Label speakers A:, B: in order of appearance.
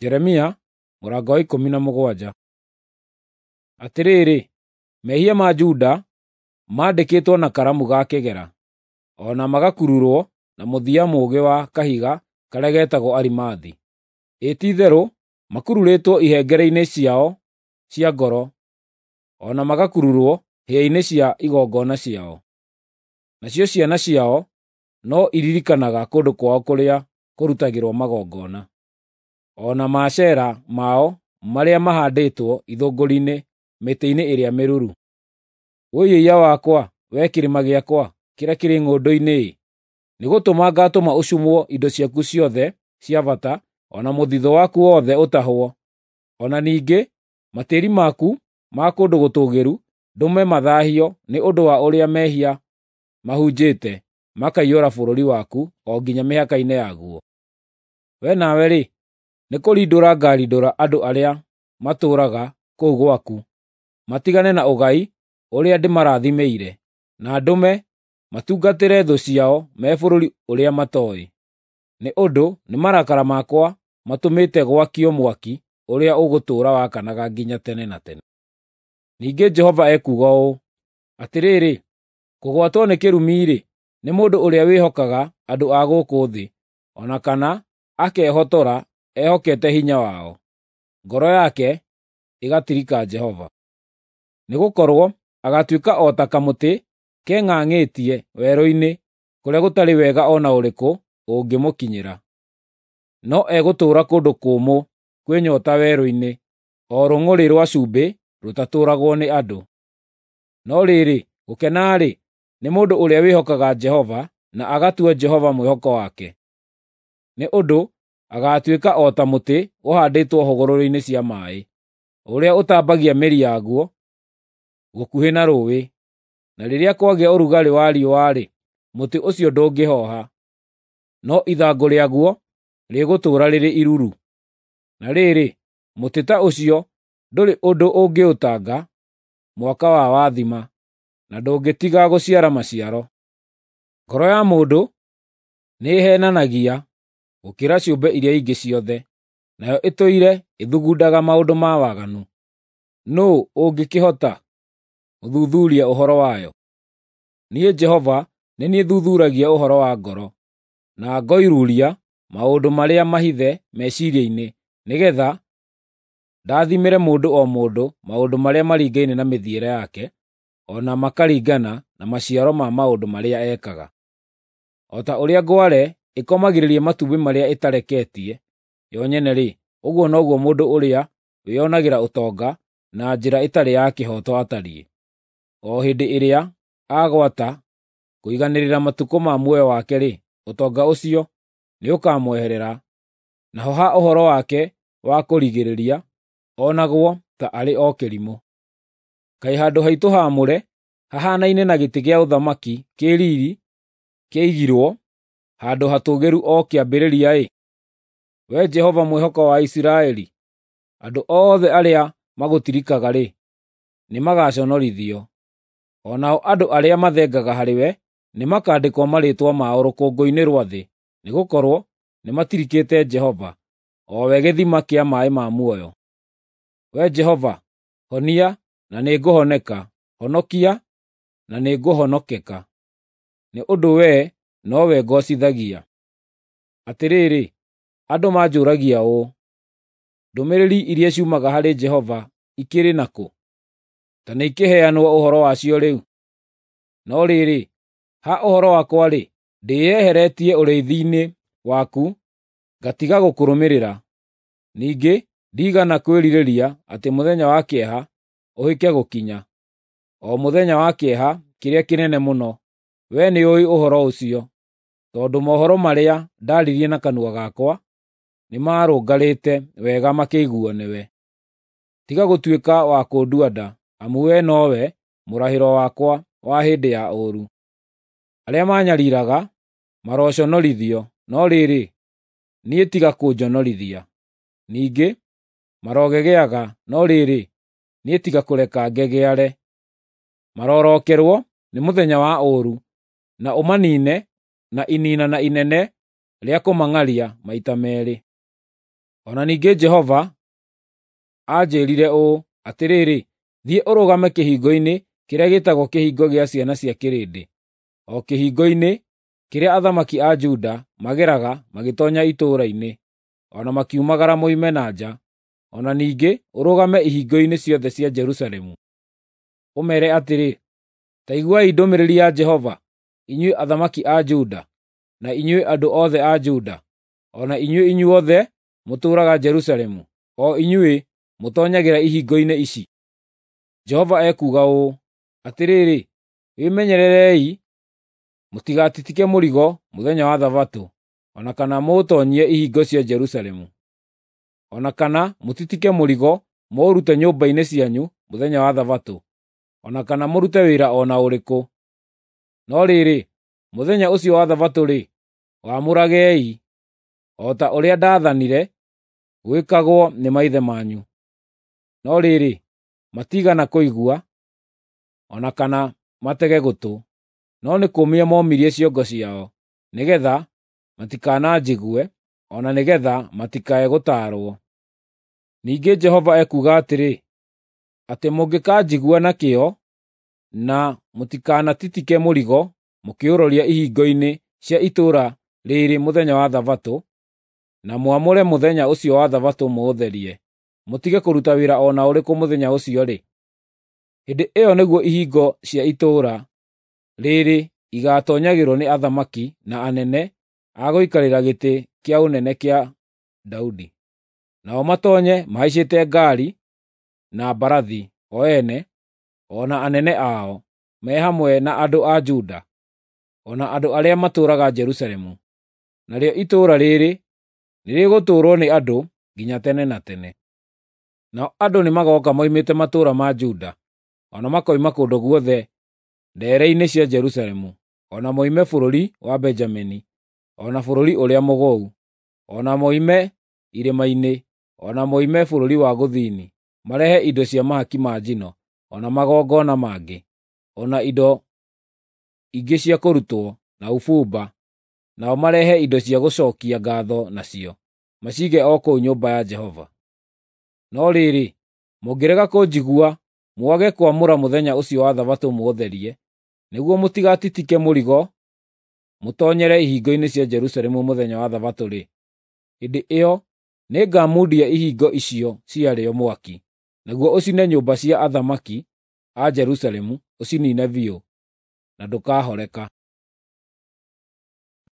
A: Jeremia mũrango wa 17. Atĩrĩrĩ, mehia ma Juda mandĩkĩtwo na karamu ga kĩgera, o na magakururwo na mũthia mũũgĩ wa kahiga karĩa getagwo arimathi. Ĩ ti-itherũ makururĩtwo ihengere-inĩ ciao cia ngoro, o na magakururwo hĩa-inĩ cia igongona ciao. Nacio ciana ciao no iririkanaga kũndũ kwao kũrĩa kũrutagĩrwo magongona, o na Maashera mao marĩa mahaandĩtwo ithũngũri-inĩ mĩtĩ-inĩ ĩrĩa mĩruru. Wũi-ĩiya wakwa, wee kĩrĩma gĩakwa kĩrĩa kĩrĩ ng'ũndũ-inĩ-ĩ! Nĩgũtũma ngaatũma ũcumwo indo ciaku ciothe cia bata, o na mũthithũ waku wothe ũtahwo. O na ningĩ matĩĩri maku ma kũndũ gũtũũgĩru ndũme mathaahio nĩ ũndũ wa ũrĩa mehia mahunjĩte makaiyũra bũrũri waku o nginya mĩhaka-inĩ yaguo. Wee nawe-rĩ, nĩkũrindũra ngaarindũra andũ arĩa matũũraga kũu gwaku, matigane na ũgai ũrĩa ndĩmarathimĩire, na ndũme matungatĩre thũ ciao me bũrũri ũrĩa matooĩ. Nĩ ũndũ nĩ marakara makwa matũmĩte gwakio mwaki ũrĩa ũgũtũũra wakanaga nginya tene na tene. Ningĩ Jehova ekuuga ũũ: Atĩrĩrĩ, kũgwatwo nĩ kĩrumi-rĩ, nĩ mũndũ ũrĩa wĩhokaga andũ a gũkũ thĩ, o na kana akehotora ehokete hinya wao, ngoro yake ĩgatirika Jehova. Nĩgũkorwo agaatuĩka o ta kamũtĩ keng'ang'ĩtie werũ-inĩ kũrĩa gũtarĩ wega o na ũrĩkũ ũngĩmũkinyĩra. No egũtũũra kũndũ kũmũ kwĩ nyoota werũ-inĩ, o rũng'ũrĩ rwa cumbĩ rũtatũũragwo nĩ andũ. No rĩrĩ, gũkena-rĩ, nĩ mũndũ ũrĩa wĩhokaga Jehova na agatua Jehova mwĩhoko wake. Nĩ ũndũ agaatuĩka o ta mũtĩ ũhaandĩtwo hũgũrũrũ-inĩ cia maaĩ, ũrĩa ũtambagia mĩri yaguo gũkuhĩ na rũũĩ, na rĩrĩa kwagĩa ũrugarĩ wa riũa-rĩ, mũtĩ ũcio ndũngĩhooha, no ithangũ rĩaguo rĩgũtũũra rĩrĩ iruru. Na rĩrĩ, mũtĩ ta ũcio ndũrĩ ũndũ ũngĩũtanga mwaka wa wathima, na ndũngĩtiga gũciara maciaro. Ngoro ya mũndũ nĩĩheenanagia gũkĩra ciũmbe iria ingĩ ciothe, nayo ĩtũire ĩthugundaga maũndũ ma waganu. Nũũ ũngĩkĩhota gũthuthuria ũhoro wayo? Niĩ Jehova nĩ niĩ thuthuuragia ũhoro wa ngoro, na ngoiruuria maũndũ marĩa mahithe meciiria-inĩ, nĩgeetha ndathimĩre mũndũ o mũndũ maũndũ marĩa maringaine na mĩthiĩre yake, o na makaringana na maciaro ma maũndũ marĩa ekaga. O ta ũrĩa ngware ĩkomagĩrĩria matumbĩ marĩa ĩtareketie yo nyene-rĩ, ũguo noguo mũndũ ũrĩa wĩonagĩra ũtonga na njĩra ĩtarĩ ya kĩhooto atariĩ. O hĩndĩ ĩrĩa agwata kũiganĩrĩra matukũ ma muoyo wake-rĩ, ũtonga ũcio nĩũkamweherera, naho ha ũhoro wake wa kũrigĩrĩria onagwo ta arĩ o kĩrimũ. Kaĩ handũ haitũ haamũre hahaanaine na gĩtĩ gĩa ũthamaki kĩ riiri kĩaigirwo handũ hatũũgĩru o kĩambĩrĩria-ĩ! Wee Jehova mwĩhoko wa Isiraeli, andũ othe arĩa magũtirikaga-rĩ, nĩmagaconorithio. O nao andũ arĩa mathengaga harĩwe nĩmakandĩkwo marĩĩtwa mao rũkũngũ-inĩ rwa thĩ, nĩgũkorwo nĩmatirikĩte Jehova, o we gĩthima kĩa maaĩ ma muoyo. Wee Jehova, honia na nĩngũhoneka; honokia na nĩngũhonokeka, nĩ ũndũ wee nowe ngoocithagia. Atĩrĩrĩ, andũ manjũragia ũũ, “Ndũmĩrĩri iria ciumaga harĩ Jehova ikĩrĩ nakũ? Ta nĩikĩheanwo ũhoro wacio rĩu!” No rĩrĩ, ha ũhoro wakwa-rĩ, ndĩĩyeheretie ũrĩithi-inĩ waku, ngatiga gũkũrũmĩrĩra. Ningĩ ndiigana kwĩrirĩria atĩ mũthenya wa kĩeha ũhĩke gũkinya, o mũthenya wa kĩeha kĩrĩa kĩnene mũno. Wee nĩũũĩ ũhoro ũcio, tondũ mohoro marĩa ndaaririe na kanua gakwa nĩmarũngarĩte wega makĩiguuo nĩwe. Tiga gũtuĩka wa kũndua nda, amu wee nowe mũrahĩro wakwa wa hĩndĩ ya ũũru. Arĩa maanyariiraga maroconorithio, no rĩrĩ, niĩ tiga kũnjonorithia. Ningĩ marogegeaga, no rĩrĩ, niĩ tiga kũreka ngegeare. Marorookerwo nĩ mũthenya wa ũũru, na ũmaniine na iniinana inene rĩa kũmang'aria maita meerĩ. O na ningĩ Jehova aanjĩĩrire ũũ, “Atĩrĩrĩ, thiĩ ũrũgame kĩhingo-inĩ kĩrĩa gĩĩtagwo Kĩhingo gĩa Ciana cia Kĩrĩndĩ, o kĩhingo-inĩ kĩrĩa athamaki a Juda mageraga magĩtoonya itũũra-inĩ, o na makiumagara moime na nja, o na ningĩ ũrũgame ihingo-inĩ ciothe cia Jerusalemu. Ũmeere atĩrĩ, ‘Ta iguai ndũmĩrĩri ya Jehova, inyuĩ athamaki a Juda, na inyuĩ andũ othe a Juda, o na inyuĩ inyuothe mũtũũraga Jerusalemu, o inyuĩ mũtoonyagĩra ihingo-inĩ ici. Jehova ekuuga ũũ: Atĩrĩrĩ, wĩmenyererei mũtigatitike mũrigo mũthenya wa Thabatũ, o na kana mũũtoonyie ihingo cia Jerusalemu, o na kana mũtitike mũrigo mũũrute nyũmba-inĩ cianyu mũthenya wa Thabatũ, o na kana mũrute wĩra o na ũrĩkũ. No rĩrĩ, mũthenya ũcio wa Thabatũ-rĩ, wamũragei, o ta ũrĩa ndaathanire gwĩkagwo nĩ maithe manyu. No rĩrĩ, matiigana kũigua, o na kana matege gũtũ, no nĩ kũũmia momirie ciongo ciao, nĩgeetha matikananjigue, o na nĩgeetha matikae gũtaarwo. Ningĩ Jehova ekuuga atĩrĩ, atĩ mũngĩkanjigua na kĩyo, na mũtikanatitike mũrigo mũkĩũroria ihingo-inĩ cia itũũra rĩĩrĩ mũthenya wa Thabatũ, na mwamũre mũthenya ũcio wa Thabatũ mũũtherie, mũtige kũruta wĩra o na ũrĩkũ mũthenya ũcio-rĩ, hĩndĩ ĩyo nĩguo ihingo cia itũũra rĩĩrĩ igaatoonyagĩrwo nĩ athamaki na anene a gũikarĩra gĩtĩ kĩa ũnene kĩa Daudi. Nao matoonye mahaicĩte ngaari na mbarathi o ene, o na anene ao, me hamwe na andũ a Juda, o na andũ arĩa matũũraga Jerusalemu. Narĩo itũũra rĩĩrĩ nĩrĩgũtũũrwo nĩ andũ nginya tene na tene. Nao andũ nĩmagooka moimĩte matũũra ma Juda, o na makoima kũndũ guothe ndeere-inĩ cia Jerusalemu, o na moime bũrũri wa Benjamini, o na bũrũri ũrĩa mũgũu, o na moime irĩma-inĩ, o na moime bũrũri wa gũthini, marehe indo cia mahaki ma njino, o na magongona mangĩ, o na indo ingĩ cia kũrutwo na ũbumba, nao marehe indo cia gũcookia ngaatho nacio, maciige o kũu nyũmba ya Jehova. No rĩrĩ, mũngĩrega kũnjigua mwage kwamũra mũthenya ũcio wa Thabatũ mũũtherie, nĩguo mũtigatitike mũrigo mũtoonyere ihingo-inĩ cia Jerusalemu mũthenya wa Thabatũ-rĩ, hĩndĩ ĩyo nĩngamundia ihingo icio ciarĩo mwaki, naguo ũcine nyũmba cia athamaki a Jerusalemu, ũciniine biũ, na ndũkahoreka.